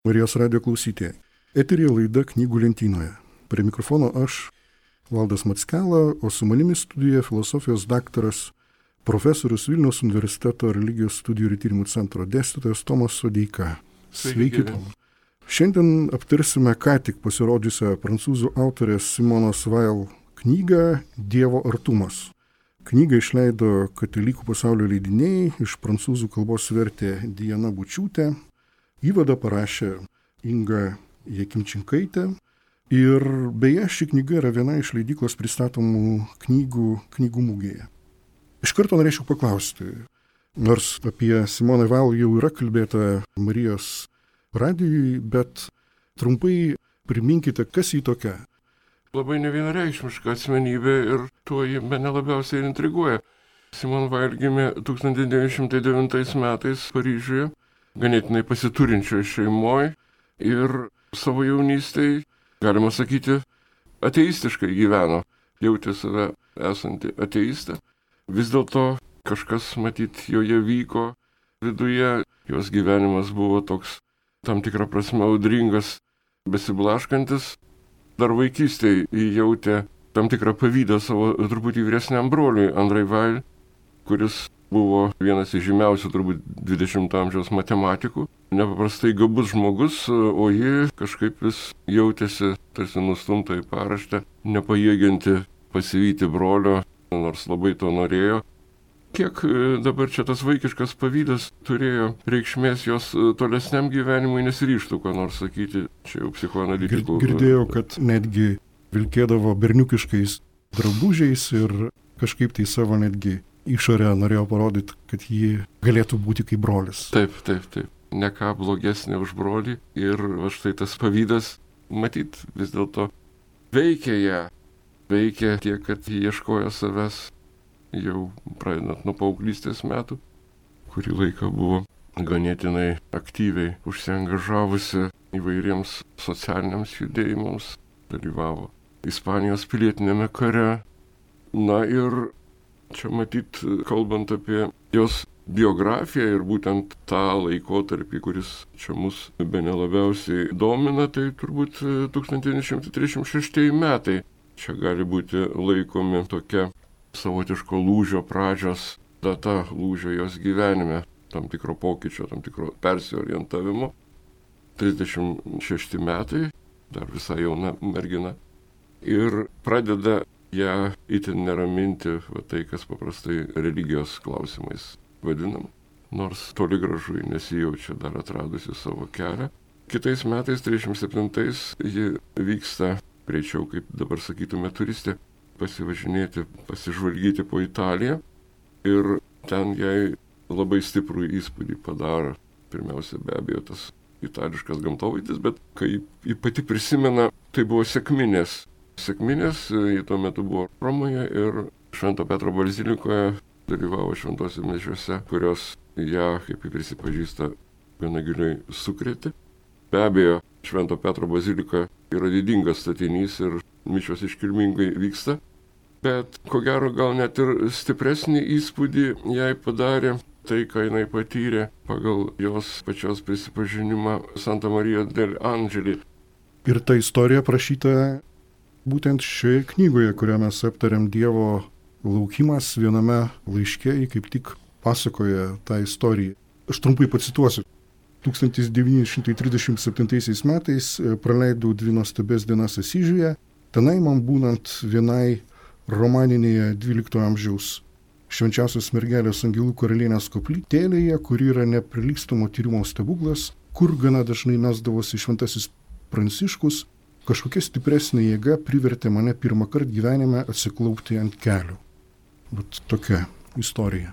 Marijos radijo klausytojai. Eterija laida Knygų lentynoje. Prie mikrofono aš, Valdas Mackela, o su manimi studijoje filosofijos daktaras, profesorius Vilniaus universiteto religijos studijų ir tyrimų centro dėstytojas Tomas Sodeika. Sveiki, Tomas. Šiandien aptarsime ką tik pasirodžiusią prancūzų autorės Simonos Weil knygą Dievo artumas. Knygą išleido Katalikų pasaulio leidiniai, iš prancūzų kalbos vertė Diana Bučiūtė. Įvadą parašė Inga Jakimčinkaitė ir beje ši knyga yra viena iš leidyklos pristatomų knygų mugėje. Iš karto norėčiau paklausti, nors apie Simoną Weil jau yra kalbėta Marijos radijui, bet trumpai priminkite, kas ji tokia. Labai nevienareikšmiška asmenybė ir tuo ji mane labiausiai intriguoja. Simona Weil gimė 1909 metais Paryžiuje, ganėtinai pasiturinčioje šeimoje ir savo jaunystėje, galima sakyti, ateistiškai gyveno, jautė save esanti ateistė. Vis dėlto kažkas, matyt, joje vyko viduje, jos gyvenimas buvo toks tam tikrą prasme audringas, besiblaškantis. Dar vaikystėje jautė tam tikrą pavydą savo truputį vyresniam broliui Andrei Weil, kuris buvo vienas iš žymiausių turbūt 20 amžiaus matematikų, nepaprastai gabus žmogus, o ji kažkaip vis jautėsi tarsi nustumta į paraštę, nepajėgianti pasivyti brolio, nors labai to norėjo. Kiek dabar čia tas vaikiškas pavydas turėjo reikšmės jos tolesniam gyvenimui, nesiryžtų ką nors sakyti, čia jau psichoanalitikų. Girdėjau, kad netgi vilkėdavo berniukiškais drabužiais ir kažkaip tai savo netgi išorę norėjo parodyti, kad ji galėtų būti kaip brolis. Taip. Ne ką blogesnė už brolį ir štai tas pavydas, matyt, vis dėlto veikia ją. Veikia tiek, kad ji ieškojo savęs jau pradedant nuo paauglystės metų, kurį laiką buvo ganėtinai aktyviai užsiangažavusi įvairiems socialiniams judėjimams, dalyvavo Ispanijos pilietinėme kare. Na ir čia matyt, kalbant apie jos biografiją ir būtent tą laikotarpį, kuris čia mus bene labiausiai domina, tai turbūt 1936 metai. Čia gali būti laikomi tokia savotiško lūžio pradžios data, lūžio jos gyvenime, tam tikro pokyčio, tam tikro persiorientavimo. 36 metai, dar visai jauna mergina. Ir pradeda ją itin neraminti tai, kas paprastai religijos klausimais vadinam, nors toli gražu nesijaučia dar atradusi savo kelią. Kitais metais, 37-ais, ji vyksta greičiau, kaip dabar sakytume, turistė, pasivažinėti, pasižvalgyti po Italiją ir ten jai labai stiprų įspūdį padaro. Pirmiausia, be abejo, tas itališkas gamtovaizdis, bet kai ji pati prisimena, tai buvo sekminės. Sekminės, ji tuo metu buvo Romoje ir Švento Petro bazilikoje dalyvavo šventose mišiose, kurios ją, kaip ji prisipažįsta, gana giliai sukrėtė. Be abejo, Švento Petro bazilika yra didingas statinys ir mišios iškilmingai vyksta, bet ko gero gal net ir stipresnį įspūdį jai padarė tai, ką jinai patyrė pagal jos pačios prisipažinimą Santa Marija del Angeli. Ir ta istorija prašyta būtent šioje knygoje, kurią mes aptariam, Dievo laukimas, viename laiške, kaip tik pasakoja tą istoriją. Aš trumpai pacituosiu. 1937 metais praleidau 2 nuostabias dienas Asyžiuje, tenai man būnant vienai romaninėje 12 amžiaus švenčiausios mergelės angelų karalienės koplytėlėje, kuri yra neprilygstamo tyrimo stebuklas, kur gana dažnai mesdavosi šventasis Pranciškus, kažkokia stipresnė jėga privertė mane pirmą kartą gyvenime atsiklaupti ant kelių. Bet tokia istorija.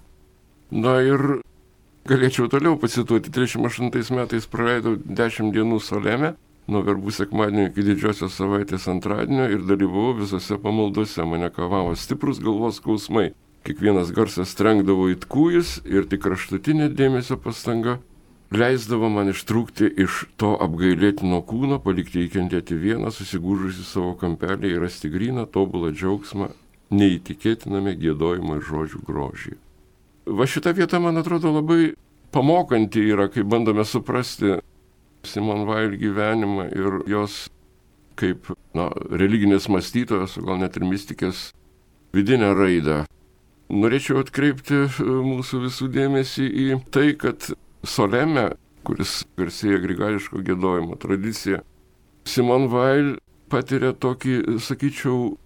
Na ir galėčiau toliau pacituoti. 38 metais praleidau 10 dienų Saleme, nuo verbų sekmadienio iki didžiosios savaitės antradienio ir dalyvavau visose pamaldose. Mane kavavo stiprus galvos skausmai. Kiekvienas garsas trenkdavo it kūjis ir tik kraštutinė dėmesio pastanga leisdavo man ištrūkti iš to apgailėtino kūno, palikti įkentėti vieną, susigūžusi savo kampelį ir rasti gryną, tobulą džiaugsmą, neįtikėtiname giedojimo ir žodžių grožį. Va šita vieta, man atrodo, labai pamokanti yra, kai bandome suprasti Simone Weil gyvenimą ir jos kaip religinės mąstytojos, gal net ir mistikės vidinę raidą. Norėčiau atkreipti mūsų visų dėmesį į tai, kad Soleme, kuris garsėja grigališko giedojimo tradicija, Simone Weil patiria tokį, sakyčiau,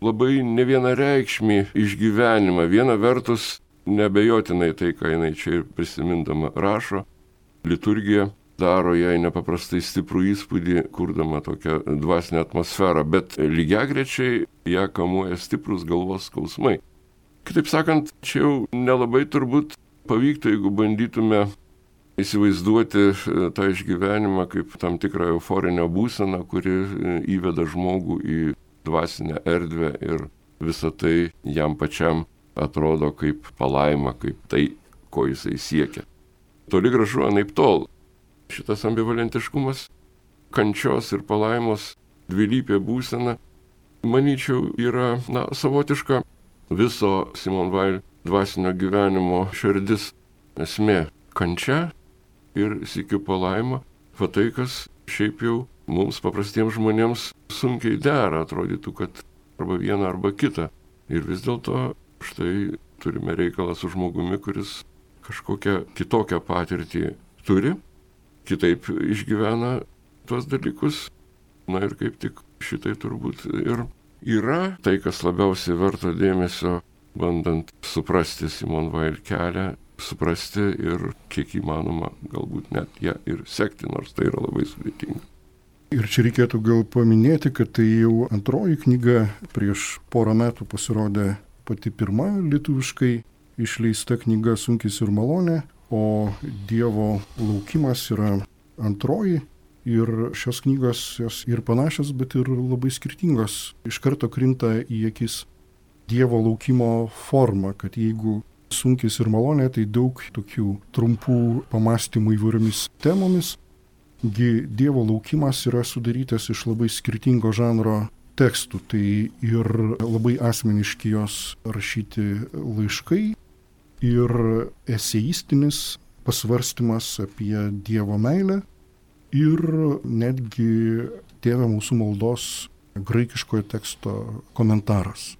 labai nevienareikšmį išgyvenimą. Viena vertus, neabejotinai tai, ką jinai čia ir prisimindama rašo, liturgija daro jai nepaprastai stiprų įspūdį, kurdama tokią dvasinę atmosferą, bet lygiagrečiai ją kamuoja stiprus galvos skausmai. Kitaip sakant, čia jau nelabai turbūt pavyktų, jeigu bandytume įsivaizduoti tą išgyvenimą kaip tam tikrą euforinę būseną, kuri įveda žmogų į dvasinę erdvę ir visa tai jam pačiam atrodo kaip palaima, kaip tai, ko jisai siekia. Toli gražu anaiptol. Šitas ambivalentiškumas, kančios ir palaimos dvilypė būsena, manyčiau, yra savotiška viso Simone Weil dvasinio gyvenimo širdis, esmė kančia ir sykiu palaima, va tai, kas šiaip jau mums paprastiems žmonėms sunkiai dera, atrodytų, kad arba viena, arba kita. Ir vis dėlto štai turime reikalą su žmogumi, kuris kažkokią kitokią patirtį turi, kitaip išgyvena tuos dalykus. Na ir kaip tik šitai turbūt ir yra tai, kas labiausiai verto dėmesio, bandant suprasti Simone Weil kelią, suprasti ir kiek įmanoma galbūt net ją ir sekti, nors tai yra labai sudėtinga. Ir čia reikėtų gal paminėti, kad tai jau antroji knyga, prieš porą metų pasirodė pati pirma lietuviškai išleista knyga Sunkis ir malonė, o Dievo laukimas yra antroji. Ir šios knygos jos ir panašios, bet ir labai skirtingos. Iš karto krinta į akis Dievo laukimo forma, kad jeigu Sunkis ir malonė, tai daug tokių trumpų pamastymų įvairiomis temomis. Dievo laukimas yra sudarytas iš labai skirtingo žanro tekstų, tai ir labai asmeniški jos rašyti laiškai, ir eseistinis pasvarstymas apie Dievo meilę, ir netgi Tėve mūsų maldos graikiškojo teksto komentaras.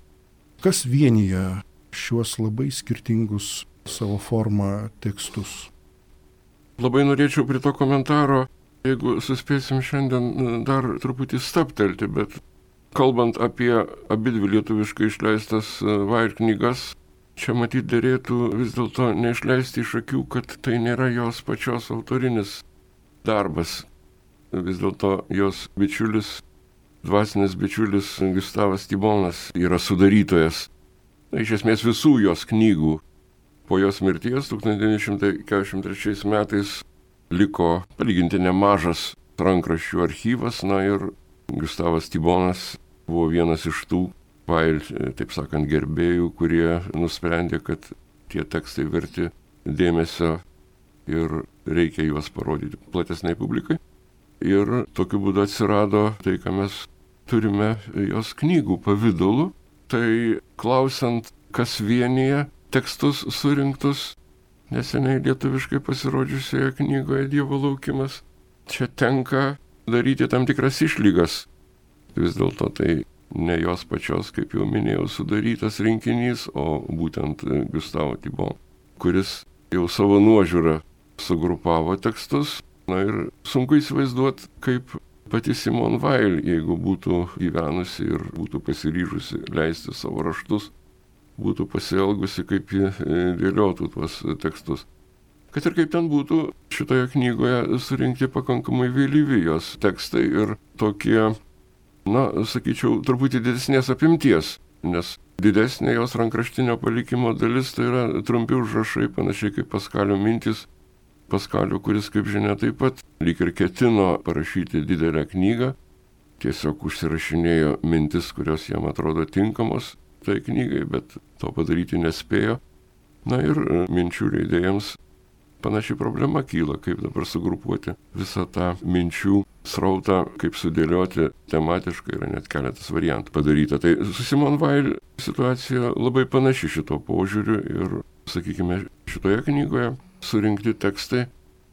Kas vienyje šiuos labai skirtingus savo formą tekstus? Labai norėčiau prie to komentaro, jeigu suspėsim šiandien dar truputį stabtelti, bet kalbant apie abidvi lietuviškai išleistas Weil knygas, čia matyt derėtų vis dėlto neišleisti iš akių, kad tai nėra jos pačios autorinis darbas. Vis dėlto jos bičiulis, dvasinis bičiulis Gustavas Tibonas yra sudarytojas. Iš esmės visų jos knygų. Po jos mirties 1943 metais liko palyginti nemažas rankraščių archyvas, ir Gustavas Tibonas buvo vienas iš tų Weil, taip sakant, gerbėjų, kurie nusprendė, kad tie tekstai verti dėmesio ir reikia juos parodyti platesnei publikai. Ir tokiu būdu atsirado tai, ką mes turime jos knygų pavidalu. Tai klausiant, kas vienyje tekstus surinktus neseniai lietuviškai pasirodžiusioje knygoje Dievo laukimas, čia tenka daryti tam tikras išlygas. Vis dėlto tai ne jos pačios, kaip jau minėjau, sudarytas rinkinys, o būtent Gustavo Tibon, kuris jau savo nuožiūrą sugrupavo tekstus. Ir sunku įsivaizduoti, kaip pati Simone Weil, jeigu būtų gyvenusi ir būtų pasiryžusi leisti savo raštus, būtų pasielgusi, kaip ji dėliotų tuos tekstus. Kad ir kaip ten būtų, šitoje knygoje surinkti pakankamai vėlyvi jos tekstai ir tokie, sakyčiau, truputį didesnės apimties, nes didesnė jos rankraštinio palikimo dalis tai yra trumpi užrašai, panašiai kaip Paskalio mintys. Paskalio, kuris, kaip žinia, taip pat lyg ir ketino parašyti didelę knygą, tiesiog užsirašinėjo mintis, kurios jam atrodo tinkamos tai knygai, bet to padaryti nespėjo. Ir minčių leidėjams panaši problema kyla, kaip dabar sugrupuoti visą tą minčių srautą, kaip sudėlioti tematiškai, yra net keletas variantų padaryta. Tai su Simone Weil situacija labai panaši šito požiūriu ir, sakykime, šitoje knygoje surinkti tekstai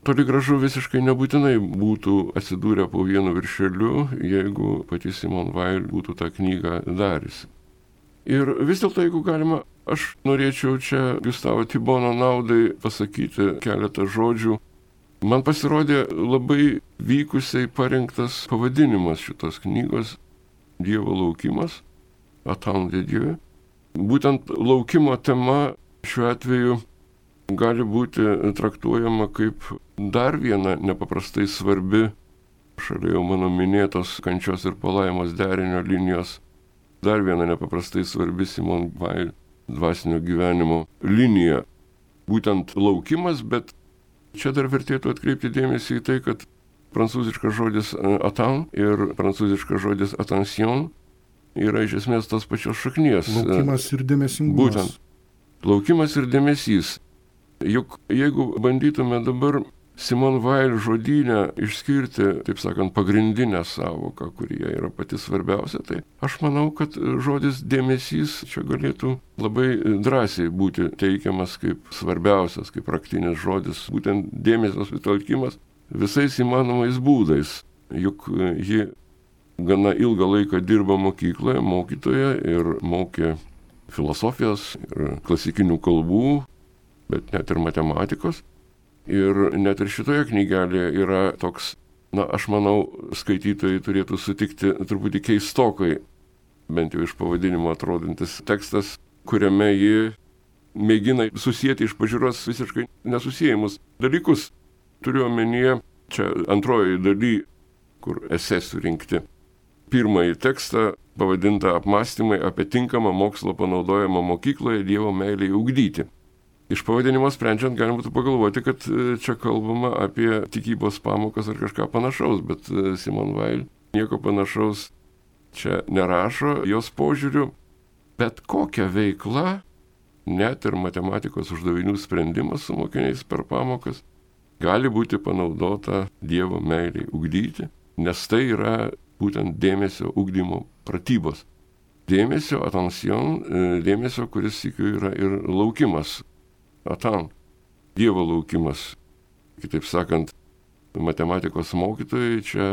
toli gražu visiškai nebūtinai būtų atsidūrę po vienu viršeliu, jeigu pati Simone Weil būtų tą knygą dariusi. Ir vis dėlto, jeigu galima, aš norėčiau čia Gustavo Tibono naudai pasakyti keletą žodžių. Man pasirodė labai vykusiai parinktas pavadinimas šitos knygos – Dievo laukimas, Attendre de Dieu. Būtent laukimo tema šiuo atveju gali būti traktuojama kaip dar viena nepaprastai svarbi, šalia jau mano minėtos kančios ir palaimos derinio linijos, dar viena nepaprastai svarbi Simone Weil dvasinio gyvenimo linija. Būtent laukimas, bet čia dar vertėtų atkreipti dėmesį į tai, kad prancūziškas žodis attendre ir prancūziškas žodis attention yra iš esmės tos pačios šaknies. Laukimas ir dėmesingumas. Būtent. Laukimas ir dėmesys. Juk jeigu bandytume dabar Simone Weil žodyne išskirti, taip sakant, pagrindinę sąvoką, kuri yra pati svarbiausia, tai aš manau, kad žodis dėmesys čia galėtų labai drąsiai būti teikiamas kaip svarbiausias, kaip raktinis žodis, būtent dėmesio sutelkimas visais įmanomais būdais. Juk ji gana ilgą laiką dirbo mokykloje, mokytoja ir mokė filosofijos ir klasikinių kalbų, bet net ir matematikos. Ir net ir šitoje knygelėje yra toks, aš manau, skaitytojai turėtų sutikti truputį keistokai, bent jau iš pavadinimo atrodantis tekstas, kuriame ji mėgina susijęti iš pažiūros visiškai nesusiejimus dalykus. Turiu omenyje, čia antrojoje daly, kur esė surinkti. Pirmąjį tekstą pavadintą apmąstymai apie tinkamą mokslo panaudojimą mokykloje Dievo meilei ugdyti. Iš pavadinimo sprendžiant galima būtų pagalvoti, kad čia kalbama apie tikybos pamokas ar kažką panašaus, bet Simone Weil nieko panašaus čia nerašo, jos požiūriu, bet kokia veikla, net ir matematikos uždavinių sprendimas su mokiniais per pamokas, gali būti panaudota Dievo meiliai ugdyti, nes tai yra būtent dėmesio ugdymo pratybos. Dėmesio, attention, dėmesio, kuris sykiu yra ir laukimas. Attendre, Dievo laukimas. Kitaip sakant, matematikos mokytojai čia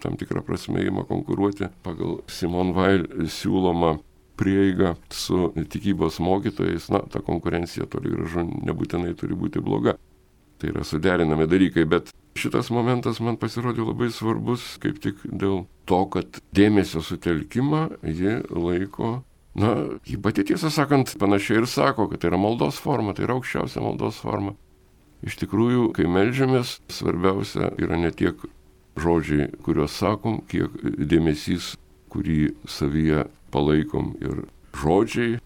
tam tikrą prasme ima konkuruoti pagal Simone Weil siūlomą prieigą su tikybos mokytojais. Ta konkurencija toli gražu nebūtinai turi būti bloga. Tai yra suderinami dalykai, bet šitas momentas man pasirodė labai svarbus kaip tik dėl to, kad dėmesio sutelkimą ji laiko, ji pati tiesą sakant panašiai ir sako, kad tai yra maldos forma, tai yra aukščiausia maldos forma. Iš tikrųjų, kai meldžiamės, svarbiausia yra ne tiek žodžiai, kuriuos sakom, kiek dėmesys, kurį savyje palaikom, ir žodžiai,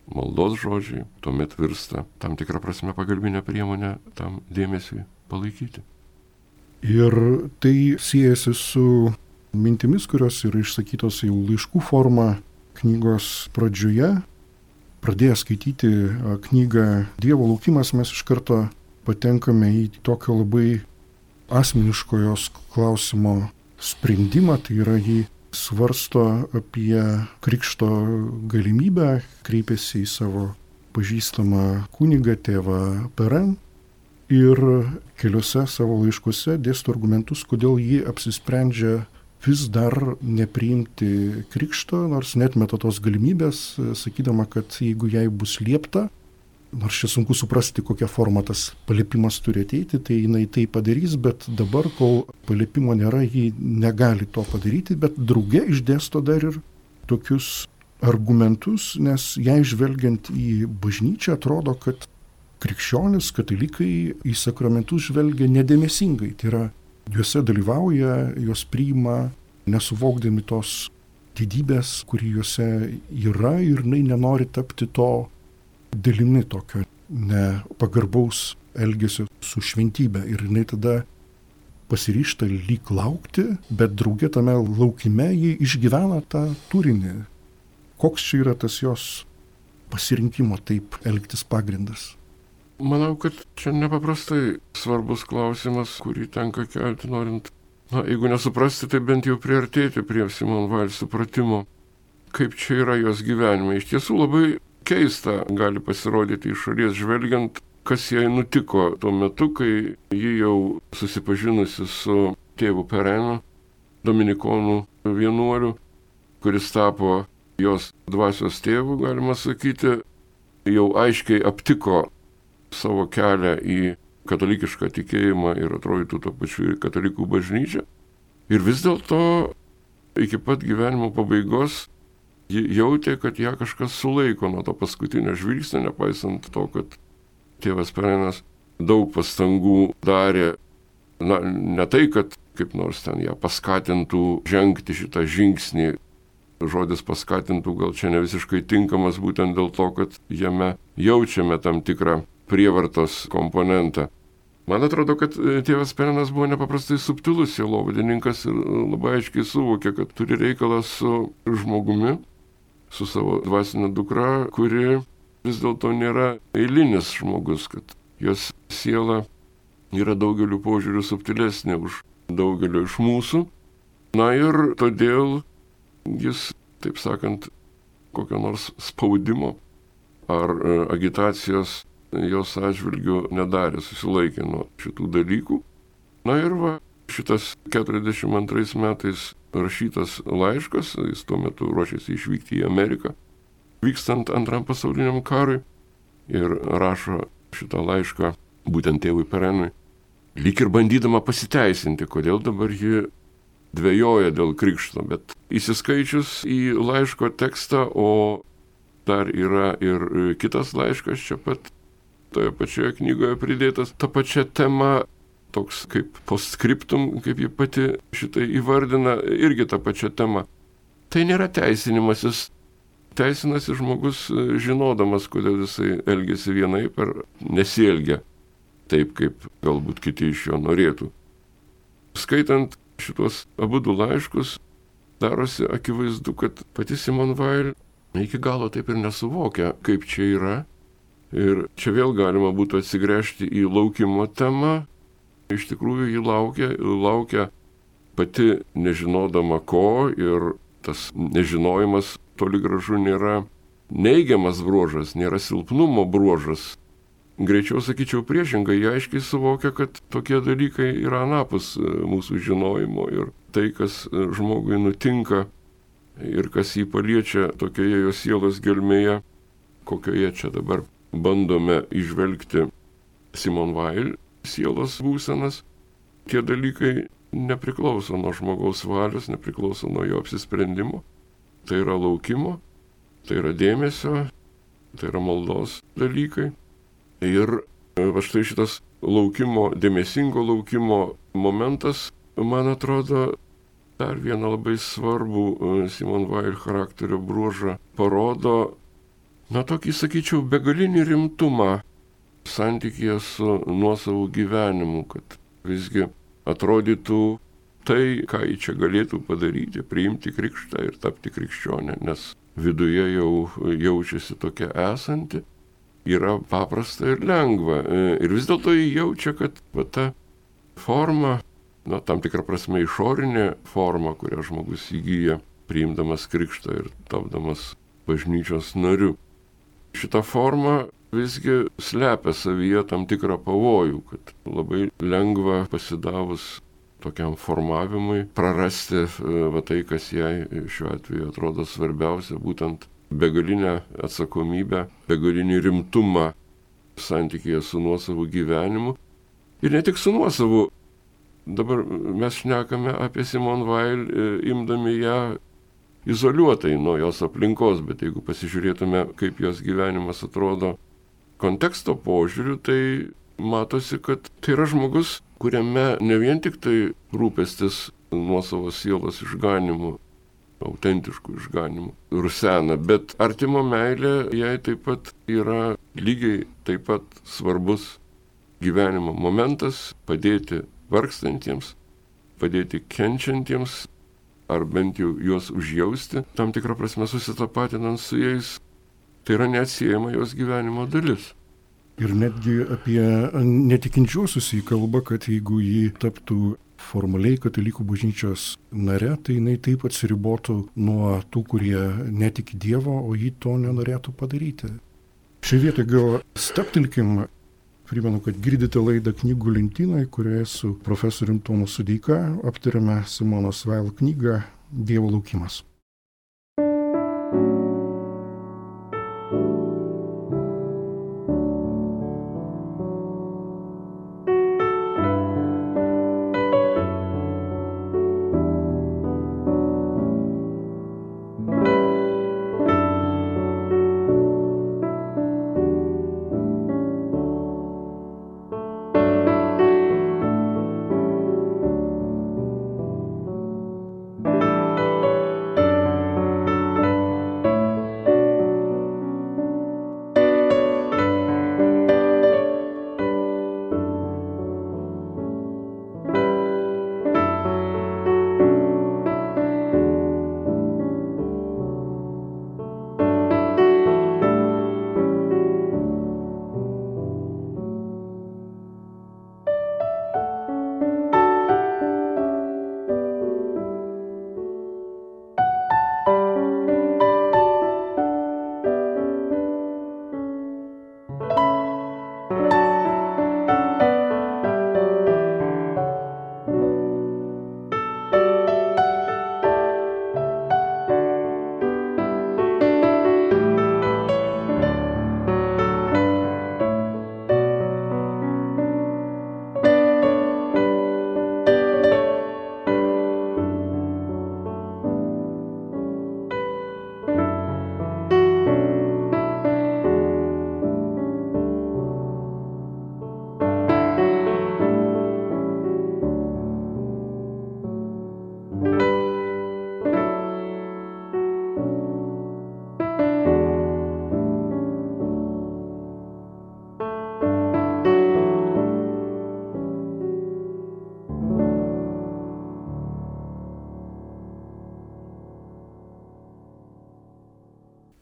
maldos žodžiai, tuomet virsta tam tikrą prasme pagalbinę priemonę tam dėmesiui palaikyti. Ir tai siejasi su mintimis, kurios yra išsakytos jau laiškų forma knygos pradžioje. Pradėję skaityti knygą Dievo laukimas, mes iš karto patenkame į tokio labai asmeniško jos klausimo sprendimą, tai yra jį svarsto apie krikšto galimybę, kreipiasi į savo pažįstamą kunigą tėvą Perrin ir keliose savo laiškuose dėsto argumentus, kodėl jį apsisprendžia vis dar nepriimti krikšto, nors neatmeta tos galimybės, sakydama, kad jeigu jai bus liepta, nors čia sunku suprasti, kokia forma tas paliepimas turi ateiti, tai jinai tai padarys, bet dabar, kol paliepimo nėra, ji negali to padaryti, bet drauge išdėsto dar ir tokius argumentus, nes jai žvelgiant į bažnyčią atrodo, kad krikščionis, katalikai į sakramentus žvelgia nedėmesingai, tai yra juose dalyvauja, juos priima, nesuvokdami tos didybės, kuri juose yra, ir jinai nenori tapti to dalimi tokio nepagarbaus elgesio su šventybė. Ir jinai tada pasiryžta lyg laukti, bet drauge tame laukime ji išgyvena tą turinį. Koks čia yra tas jos pasirinkimo taip elgtis pagrindas? Manau, kad čia nepaprastai svarbus klausimas, kurį tenka kelti, norint, jeigu nesuprasti, tai bent jau priartėti prie Simone Weil supratimo, kaip čia yra jos gyvenime. Iš tiesų labai keista gali pasirodyti iš šalies žvelgiant, kas jai nutiko tuo metu, kai ji jau susipažinusi su tėvu Perenu, dominikonų vienuoliu, kuris tapo jos dvasios tėvu, galima sakyti, jau aiškiai aptiko savo kelią į katalikišką tikėjimą ir atrodytų to pačiu ir katalikų bažnyčią. Ir vis dėlto iki pat gyvenimo pabaigos ji jautė, kad ją kažkas sulaiko nuo to paskutinio žvilgsnio, nepaisant to, kad tėvas Perenas daug pastangų darė, ne tai, kad kaip nors ten ją paskatintų žengti šitą žingsnį. Žodis paskatintų gal čia ne visiškai tinkamas būtent dėl to, kad jame jaučiame tam tikrą prievartos komponentą. Man atrodo, kad tėvas Perenas buvo nepaprastai subtilus sielovadininkas ir labai aiškiai suvokė, kad turi reikalą su žmogumi, su savo dvasinė dukra, kuri vis dėlto nėra eilinis žmogus, kad jos siela yra daugeliu požiūrių subtilesnė už daugelio iš mūsų. Na ir todėl jis, taip sakant, kokio nors spaudimo ar agitacijos jos atžvilgių nedarė, susilaikė nuo šitų dalykų. Na ir va, šitas 42 metais rašytas laiškas, jis tuo metu ruošėsi išvykti į Ameriką, vykstant Antram pasauliniam karui, ir rašo šitą laišką būtent tėvui Perenui, lyg ir bandydama pasiteisinti, kodėl dabar ji dvejoja dėl krikšto, bet įsiskaičius į laiško tekstą, o dar yra ir kitas laiškas čia pat, toje pačioje knygoje pridėtas, ta pačia tema, toks kaip postscriptum, kaip ji pati šitai įvardina, irgi ta pačia tema. Tai nėra teisinimasis. Teisinasi žmogus žinodamas, kodėl jisai elgėsi vienaip ar nesielgia taip, kaip galbūt kiti iš jo norėtų. Skaitant šitos abudu laiškus, darosi akivaizdu, kad pati Simone Weil iki galo taip ir nesuvokia, kaip čia yra. Ir čia vėl galima būtų atsigręžti į laukimo temą. Iš tikrųjų ji laukia pati nežinodama ko, ir tas nežinojimas toli gražu nėra neigiamas bruožas, nėra silpnumo bruožas. Greičiau sakyčiau priešingai, jie aiškiai suvokia, kad tokie dalykai yra anapus mūsų žinojimo, ir tai, kas žmogui nutinka ir kas jį paliečia tokioje jo sielos gelmėje, kokioje čia dabar bandome įžvelgti Simone Weil sielos būsenas, tie dalykai nepriklauso nuo žmogaus valios, nepriklauso nuo jo apsisprendimo. Tai yra laukimo, tai yra dėmesio, tai yra maldos dalykai. Ir va štai šitas laukimo, dėmesingo laukimo momentas, man atrodo, dar vieną labai svarbų Simone Weil charakterio bruožą parodo, tokį, sakyčiau, begalinį rimtumą santykyje su nuosavu gyvenimu, kad visgi atrodytų tai, ką ji čia galėtų padaryti, priimti krikštą ir tapti krikščionė, nes viduje jau jaučiasi tokia esanti, yra paprasta ir lengva. Ir vis dėlto ji jaučia, kad ta forma, tam tikrą prasme išorinė forma, kurią žmogus įgyja, priimdamas krikštą ir tapdamas bažnyčios nariu. Šita forma visgi slepia savyje tam tikrą pavojų, kad labai lengva pasidavus tokiam formavimui prarasti tai, kas jai šiuo atveju atrodo svarbiausia, būtent begalinę atsakomybę, begalinį rimtumą santykyje su nuosavu gyvenimu. Ir ne tik su nuosavu. Dabar mes šnekame apie Simone Weil, imdami ją izoliuotai nuo jos aplinkos, bet jeigu pasižiūrėtume, kaip jos gyvenimas atrodo konteksto požiūriu, tai matosi, kad tai yra žmogus, kuriame ne vien tik tai rūpestis nuosavo sielos išganimu, autentiškų išganimų rusena, bet artimo meilė jai taip pat yra lygiai taip pat svarbus gyvenimo momentas, padėti vargstantiems, padėti kenčiantiems, ar bent jau juos užjausti, tam tikrą prasme susitapatinant su jais, tai yra neatsiejama jos gyvenimo dalis. Ir netgi apie netikinčiuosius jį kalba, kad jeigu jį taptų formaliai katalikų bažnyčios nare, tai jinai taip atsiribotų nuo tų, kurie netiki Dievo, o jį to nenorėtų padaryti. Šioje vietoje gal staptelkim, Primenu, kad girdite laidą Knygų lentynoje, kurioje su profesoriumi Tomu Sodeika aptarėme Simonos Weil knygą Dievo laukimas.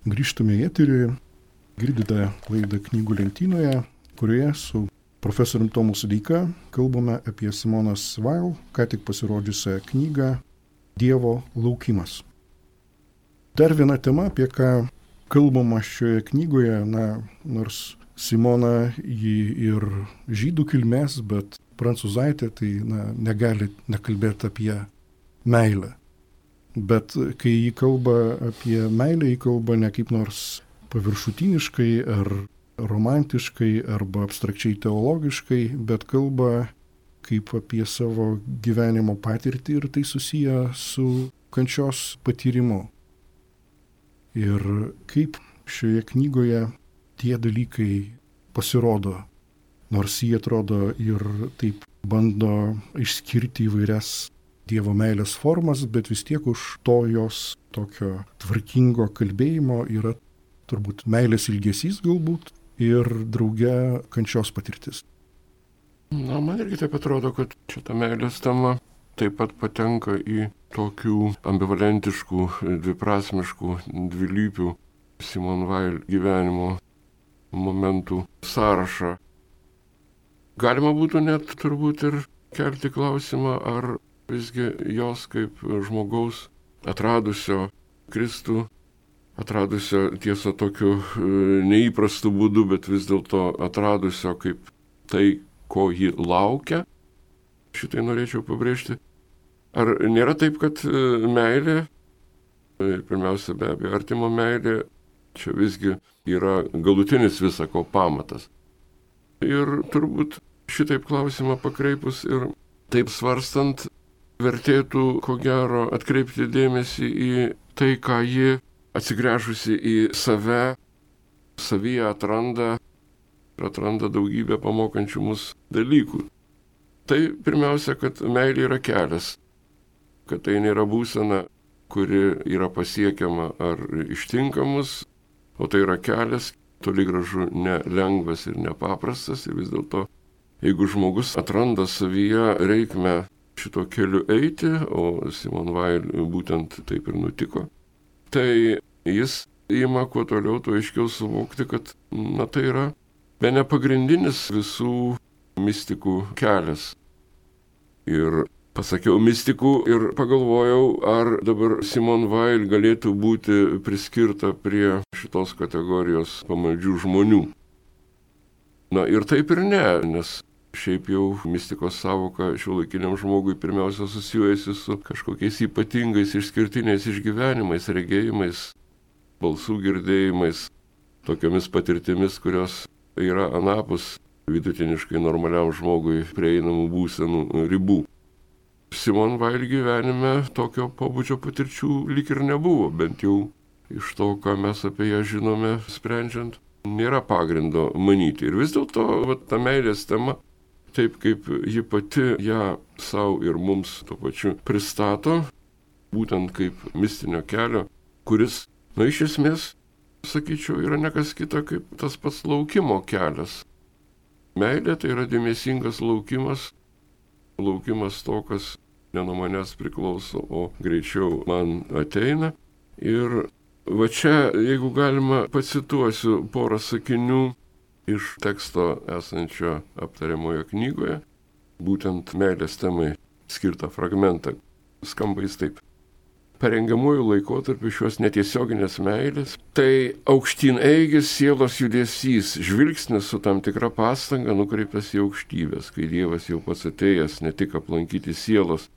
Grįžtame į eterį, girdite laidą Knygų lentynoje, kurioje su profesoriumi Tomu Sodeika kalbame apie Simonos Weil, ką tik pasirodžiusią knygą Dievo laukimas. Dar viena tema, apie ką kalbama šioje knygoje, nors Simona ji ir žydų kilmės, bet prancūzaitė, tai negali nekalbėti apie meilę. Bet kai jį kalba apie meilę, jį kalba ne kaip nors paviršutiniškai ar romantiškai arba abstrakčiai teologiškai, bet kalba kaip apie savo gyvenimo patirtį ir tai susiję su kančios patyrimu. Ir kaip šioje knygoje tie dalykai pasirodo, nors jie atrodo ir taip bando išskirti įvairias Dievo meilės formas, bet vis tiek už to jos tokio tvarkingo kalbėjimo yra turbūt meilės ilgesys galbūt ir drauge kančios patirtis. Man irgi taip atrodo, kad šita meilės tema taip pat patenka į tokių ambivalentiškų, dviprasmiškų, dvilypių Simone Weil gyvenimo momentų sąrašą. Galima būtų net turbūt ir kelti klausimą, ar visgi jos kaip žmogaus atradusio Kristų, atradusio tiesą tokiu neįprastu būdu, bet vis dėlto atradusio kaip tai, ko ji laukia, šitai norėčiau pabrėžti. Ar nėra taip, kad meilė, pirmiausia be abejo artimo meilė, čia visgi yra galutinis visako pamatas. Ir turbūt šitaip klausimą pakreipus ir taip svarstant, vertėtų, ko gero, atkreipti dėmesį į tai, ką ji atsigręžusi į save, savyje atranda daugybę pamokančių mus dalykų. Tai pirmiausia, kad meilė yra kelias, kad tai nėra būsena, kuri yra pasiekiama ar ištinka mus, o tai yra kelias, toli gražu nelengvas ir nepaprastas, ir vis dėlto, jeigu žmogus atranda savyje reikmę šito keliu eiti, o Simone Weil būtent taip ir nutiko, tai jis ima kuo toliau, tuo aiškiau suvokti, kad tai yra bene pagrindinis visų mistikų kelias. Ir pasakiau mistikų ir pagalvojau, ar dabar Simone Weil galėtų būti priskirta prie šitos kategorijos pamaldžių žmonių. Na ir taip ir ne, nes šiaip jau mistikos savoka šiuolaikiniam žmogui pirmiausia susijusi su kažkokiais ypatingais išskirtiniais išgyvenimais, regėjimais, balsų girdėjimais, tokiomis patirtimis, kurios yra anapus vidutiniškai normaliam žmogui prieinamų būsenų ribų. Simone Weil gyvenime tokio pobūdžio patirčių lyg ir nebuvo, bent jau iš to, ką mes apie ją žinome sprendžiant, nėra pagrindo manyti. Ir vis dėlto ta meilės tema, taip kaip ji pati ją savo ir mums tuo pačiu pristato, būtent kaip mistinio kelio, kuris, iš esmės, sakyčiau, yra nekas kita kaip tas pats laukimo kelias. Meilė tai yra dėmesingas laukimas to, kas ne nuo manęs priklauso, o greičiau man ateina. Ir va čia, jeigu galima, pacituosiu porą sakinių iš teksto esančio aptariamoje knygoje, būtent meilės temai skirtą fragmentą. Skamba jis taip. Parengiamųjų laikotarpių šios netiesioginės meilės tai aukštyn eigis sielos judesys, žvilgsnis su tam tikra pastanga nukreiptas į aukštybės, kai Dievas jau pats atėjęs ne tik aplankyti sielos,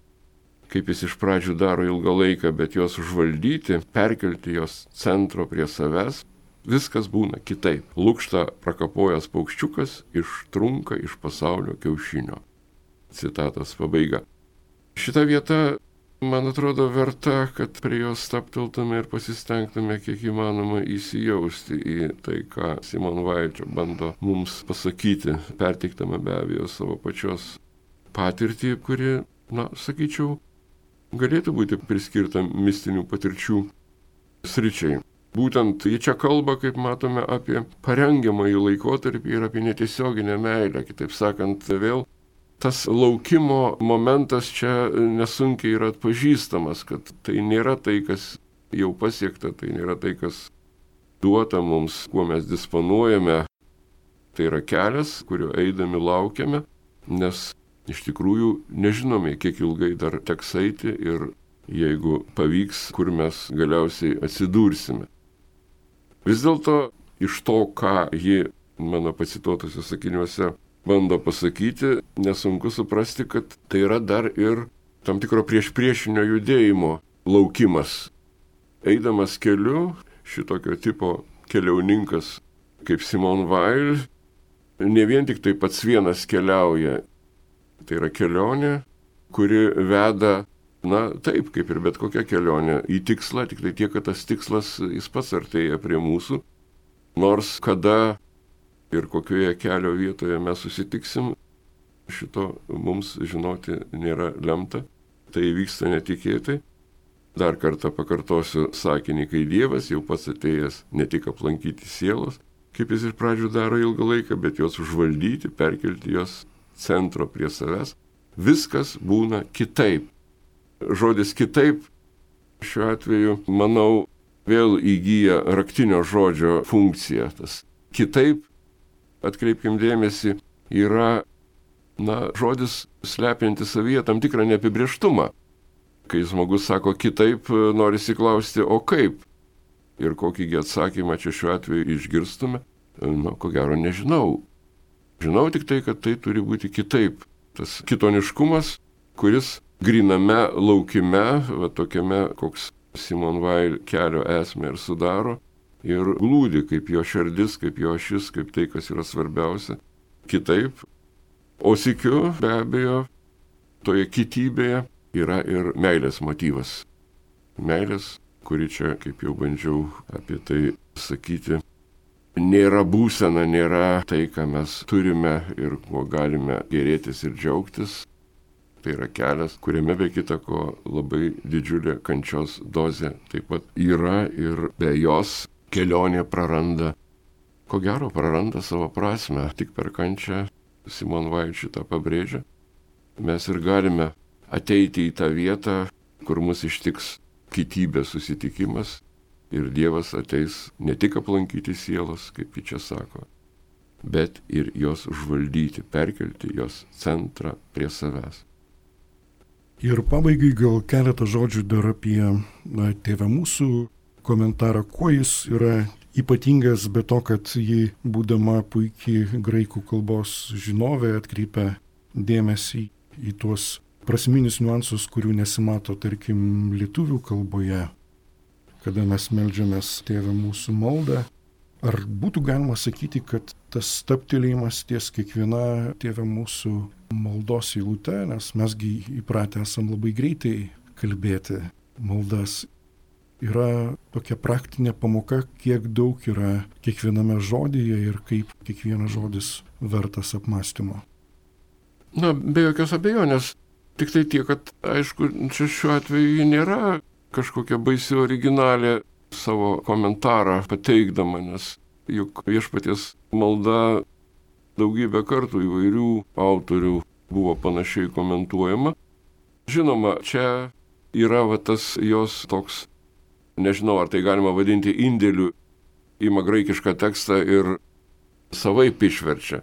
kaip jis iš pradžių daro ilgą laiką, bet jos užvaldyti, perkelti jos centro prie savęs, viskas būna kitaip. Lukšta prakapojęs paukščiukas ištrunka iš pasaulio kiaušinio. Citatos pabaiga. Šita vieta, man atrodo, verta, kad prie jos stapteltume ir pasistengtume kiek įmanoma įsijausti į tai, ką Simone Weil čia bando mums pasakyti, perteiktama be abejo savo pačios patirtį, kuri, sakyčiau, galėtų būti priskirta mistinių patirčių sričiai. Būtent ji čia kalba, kaip matome, apie parengiamąjį laikotarpį ir apie netiesioginę meilę. Kitaip sakant, vėl tas laukimo momentas čia nesunkiai yra atpažįstamas, kad tai nėra tai, kas jau pasiekta, tai nėra tai, kas duota mums, kuo mes disponuojame. Tai yra kelias, kuriuo eidami laukiame, nes iš tikrųjų nežinome, kiek ilgai dar teks eiti ir jeigu pavyks, kur mes galiausiai atsidursime. Vis dėlto iš to, ką ji mano pacituotose sakiniuose bando pasakyti, nesunku suprasti, kad tai yra dar ir tam tikro priešpriešinio judėjimo laukimas. Eidamas keliu, šitokio tipo keliauninkas kaip Simone Weil, ne vien tik tai pats vienas keliauja. Tai yra kelionė, kuri veda, taip, kaip ir bet kokia kelionė, į tikslą, tik tai tiek, kad tas tikslas jis pats artėja prie mūsų. Nors kada ir kokioje kelio vietoje mes susitiksim, šito mums žinoti nėra lemta. Tai vyksta netikėtai. Dar kartą pakartosiu sakinį, kai Dievas jau pats atėjęs ne tik aplankyti sielos, kaip jis iš pradžių daro ilgą laiką, bet jos užvaldyti, perkelti jos centro prie savęs, viskas būna kitaip. Žodis kitaip šiuo atveju, manau, vėl įgyja raktinio žodžio funkciją. Tas kitaip, atkreipkim dėmesį, yra, žodis slepiantis savyje tam tikrą neapibrėžtumą. Kai žmogus sako kitaip, norisi klausti, o kaip? Ir kokįgi atsakymą čia šiuo atveju išgirstume? Ko gero nežinau. Žinau tik tai, kad tai turi būti kitaip. Tas kitoniškumas, kuris gryname laukime, tokiame, koks Simone Weil kelio esmę ir sudaro, ir glūdi kaip jo širdis, kaip jo ašis, kaip tai, kas yra svarbiausia, kitaip. O sykiu, be abejo, toje kitybėje yra ir meilės motyvas. Meilės, kuri čia, kaip jau bandžiau apie tai sakyti, nėra būsena, nėra tai, ką mes turime ir kuo galime gėrėtis ir džiaugtis. Tai yra kelias, kuriame be kita ko labai didžiulė kančios dozė taip pat yra ir be jos kelionė praranda, ko gero praranda savo prasmę. Tik per kančią, Simone Weil šitą pabrėžia, mes ir galime ateiti į tą vietą, kur mus ištiks kitybės susitikimas ir Dievas ateis ne tik aplankyti sielos, kaip ji čia sako, bet ir jos užvaldyti, perkelti jos centrą prie savęs. Ir pabaigai gal keletą žodžių dar apie Tėvą mūsų komentarą, kuo jis yra ypatingas, be to, kad ji, būdama puikiai graikų kalbos žinovė, atkreipia dėmesį į tuos prasminius niuansus, kurių nesimato, tarkim, lietuvių kalboje, kada mes meldžiamės Tėve mūsų maldą. Ar būtų galima sakyti, kad tas stabtelėjimas ties kiekviena Tėve mūsų maldos eilute, nes mesgi įpratę esam labai greitai kalbėti maldas, yra tokia praktinė pamoka, kiek daug yra kiekviename žodyje ir kaip kiekvienas žodis vertas apmąstymo? Na, be jokios abejonės. Tik tai tiek, kad, aišku, čia šiuo atveju ji nėra kažkokia baisi originalė savo komentarą pateikdama, nes juk viešpaties malda daugybę kartų įvairių autorių buvo panašiai komentuojama. Žinoma, čia yra tas jos toks, nežinau, ar tai galima vadinti indėliu, ima graikišką tekstą ir savaip išverčia.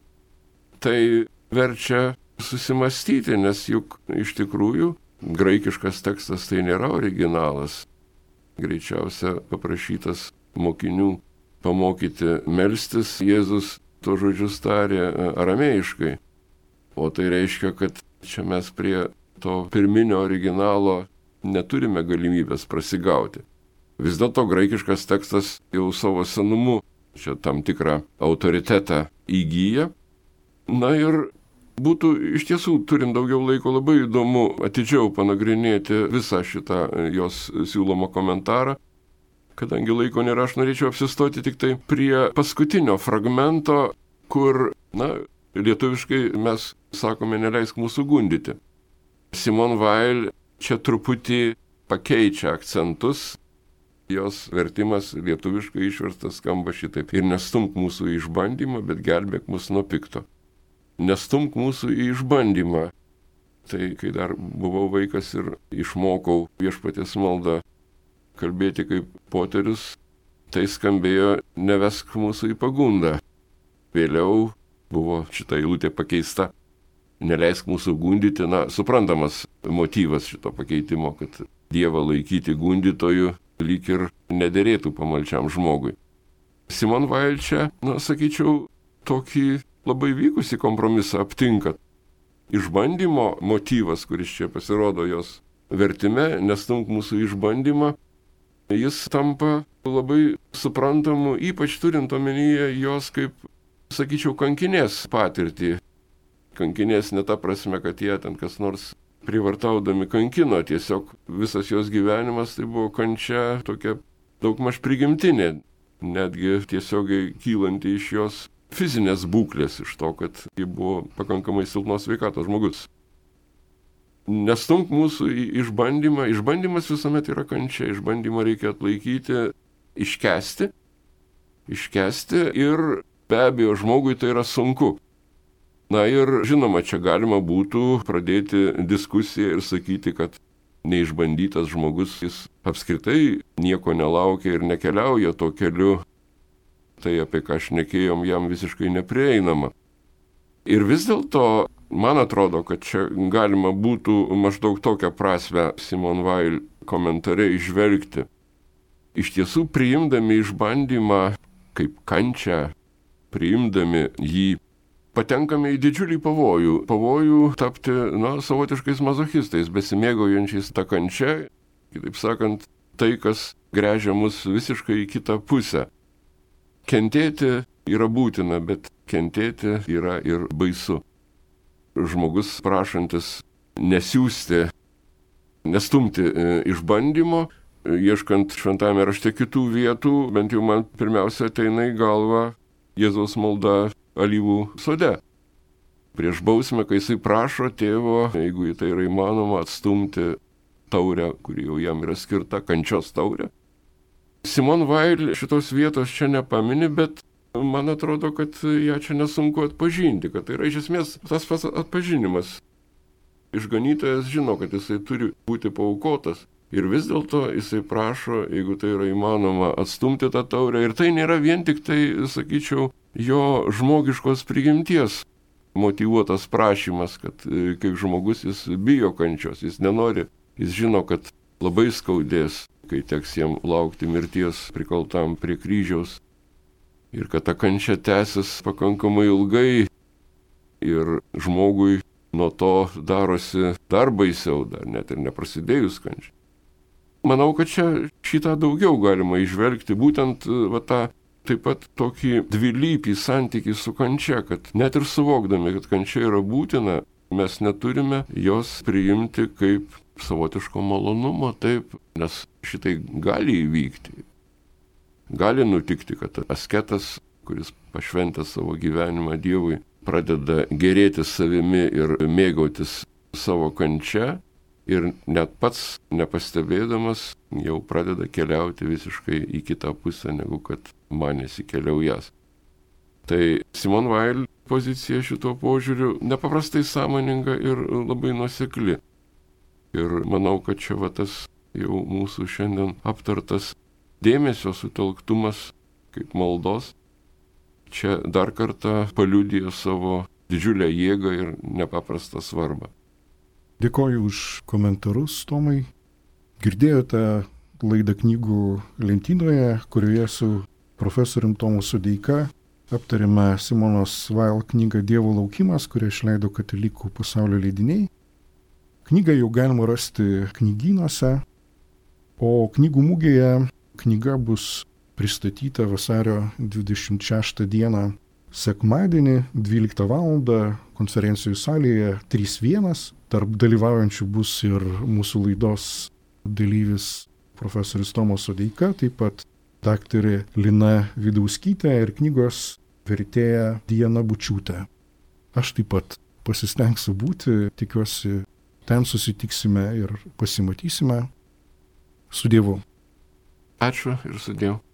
Tai verčia susimastyti, nes juk iš tikrųjų graikiškas tekstas tai nėra originalas. Greičiausia paprašytas mokinių pamokyti melstis, Jėzus to žodžius tarė aramėjiškai. O tai reiškia, kad čia mes prie to pirminio originalo neturime galimybės prasigauti. Vis dėlto graikiškas tekstas jau savo senumu čia tam tikrą autoritetą įgyja. Na ir būtų iš tiesų, turint daugiau laiko, labai įdomu atidžiau panagrinėti visą šitą jos siūlomą komentarą. Kadangi laiko nėra, aš norėčiau apsistoti tik tai prie paskutinio fragmento, kur, lietuviškai mes sakome, neleisk mūsų gundyti. Simone Weil čia truputį pakeičia akcentus. Jos vertimas lietuviškai išverstas skamba šitaip: ir nestumk mūsų į išbandymą, bet gelbėk mus nuo pikto. Nestumk mūsų į išbandymą. Tai kai dar buvau vaikas ir išmokau viešpaties maldą kalbėti kaip poterius, tai skambėjo nevesk mūsų į pagundą. Vėliau buvo šita eilutė pakeista: neleisk mūsų gundyti. Suprantamas motyvas šito pakeitimo, kad Dievą laikyti gundytoju lyg ir nederėtų pamalčiam žmogui. Simone Weil čia, sakyčiau, tokį labai vykusi kompromisą aptinka. Išbandymo motyvas, kuris čia pasirodo jos vertime, nestumk mūsų išbandymą, jis tampa labai suprantamu, ypač turint omenyje jos kaip, sakyčiau, kankinės patirtį. Kankinės ne ta prasme, kad jie ten kas nors privartaudami kankino, tiesiog visas jos gyvenimas tai buvo kančia tokia daugmaž prigimtinė, netgi tiesiogiai kylanti iš jos fizinės būklės, iš to, kad ji buvo pakankamai silpnos sveikatos žmogus. Nestumk mūsų į išbandymą. Išbandymas visuomet yra kančia. Išbandymą reikia atlaikyti, iškęsti ir be abejo žmogui tai yra sunku. Ir žinoma, čia galima būtų pradėti diskusiją ir sakyti, kad neišbandytas žmogus, jis apskritai nieko nelaukia ir nekeliauja tuo keliu. Tai apie ką šnekėjom, jam visiškai neprieinama. Ir vis dėlto, man atrodo, kad čia galima būtų maždaug tokią prasmę Simone Weil komentare įžvelgti. Iš tiesų, priimdami išbandymą kaip kančią, priimdami jį, patenkame į didžiulį pavojų. Pavojų tapti, savotiškais mazochistais, besimėgaujančiais tą kančią. Kitaip sakant, tai, kas gręžia mus visiškai į kitą pusę. Kentėti yra būtina, bet kentėti yra ir baisu. Žmogus prašantis nesiųsti, nestumti išbandymo, ieškant šventame rašte kitų vietų, bent jau man pirmiausia ateina į galvą Jėzaus malda alyvų sode. Prieš bausmę, kai jisai prašo tėvo, jeigu tai yra įmanoma, atstumti taurę, kuri jau jam yra skirta, kančios taurę. Simone Weil šitos vietos čia nepamini, bet man atrodo, kad ją čia nesunku atpažinti, kad tai yra iš esmės tas pats atpažinimas. Išganytojas žino, kad jisai turi būti paaukotas ir vis dėlto jisai prašo, jeigu tai yra įmanoma, atstumti tą taurę. Ir tai nėra vien tik tai, sakyčiau, jo žmogiškos prigimties motyvuotas prašymas, kad kaip žmogus jis bijo kančios, jis nenori, jis žino, kad labai skaudės, kai teks jam laukti mirties prikaltam prie kryžiaus. ir kad ta kančia tęsis pakankamai ilgai ir žmogui nuo to darosi dar baisiau, dar net ir neprasidėjus kančiai. Manau, kad čia šitą daugiau galima įžvelgti, būtent tą taip pat tokį dvilypį santykį su kančia, kad net ir suvokdami, kad kančia yra būtina, mes neturime jos priimti kaip savotiško malonumo, taip, nes šitai gali įvykti. Gali nutikti, kad asketas, kuris pašventęs savo gyvenimą Dievui, pradeda gerėtis savimi ir mėgautis savo kančia ir net pats nepastebėdamas jau pradeda keliauti visiškai į kitą pusę, negu kad manėsi keliaujas. Tai Simone Weil pozicija šituo požiūriu nepaprastai sąmoninga ir labai nuosekli. Ir manau, kad čia tas jau mūsų šiandien aptartas dėmesio sutelktumas kaip maldos čia dar kartą paliudija savo didžiulę jėgą ir nepaprastą svarbą. Dėkoju už komentarus, Tomai. Girdėjote laidą Knygų lentynoje, kurioje su profesorium Tomu Sodeika aptarėme Simonos Weil knygą Dievo laukimas, kurią išleido Katalikų pasaulio leidiniai. Knygą jau galima rasti knygynuose, o knygų mugėje knyga bus pristatyta vasario 26 dieną sekmadienį 12 val. Konferencijų salėje 3.1. Tarp dalyvaujančių bus ir mūsų laidos dalyvis profesorius Tomas Sodeika, taip pat daktarė Lina Vidauskytė ir knygos vertėja Diana Bučiūtė. Aš taip pat pasistengsiu būti, tikiuosi, ten susitiksime ir pasimatysime. Su Dievu. Ačiū ir su Dievu.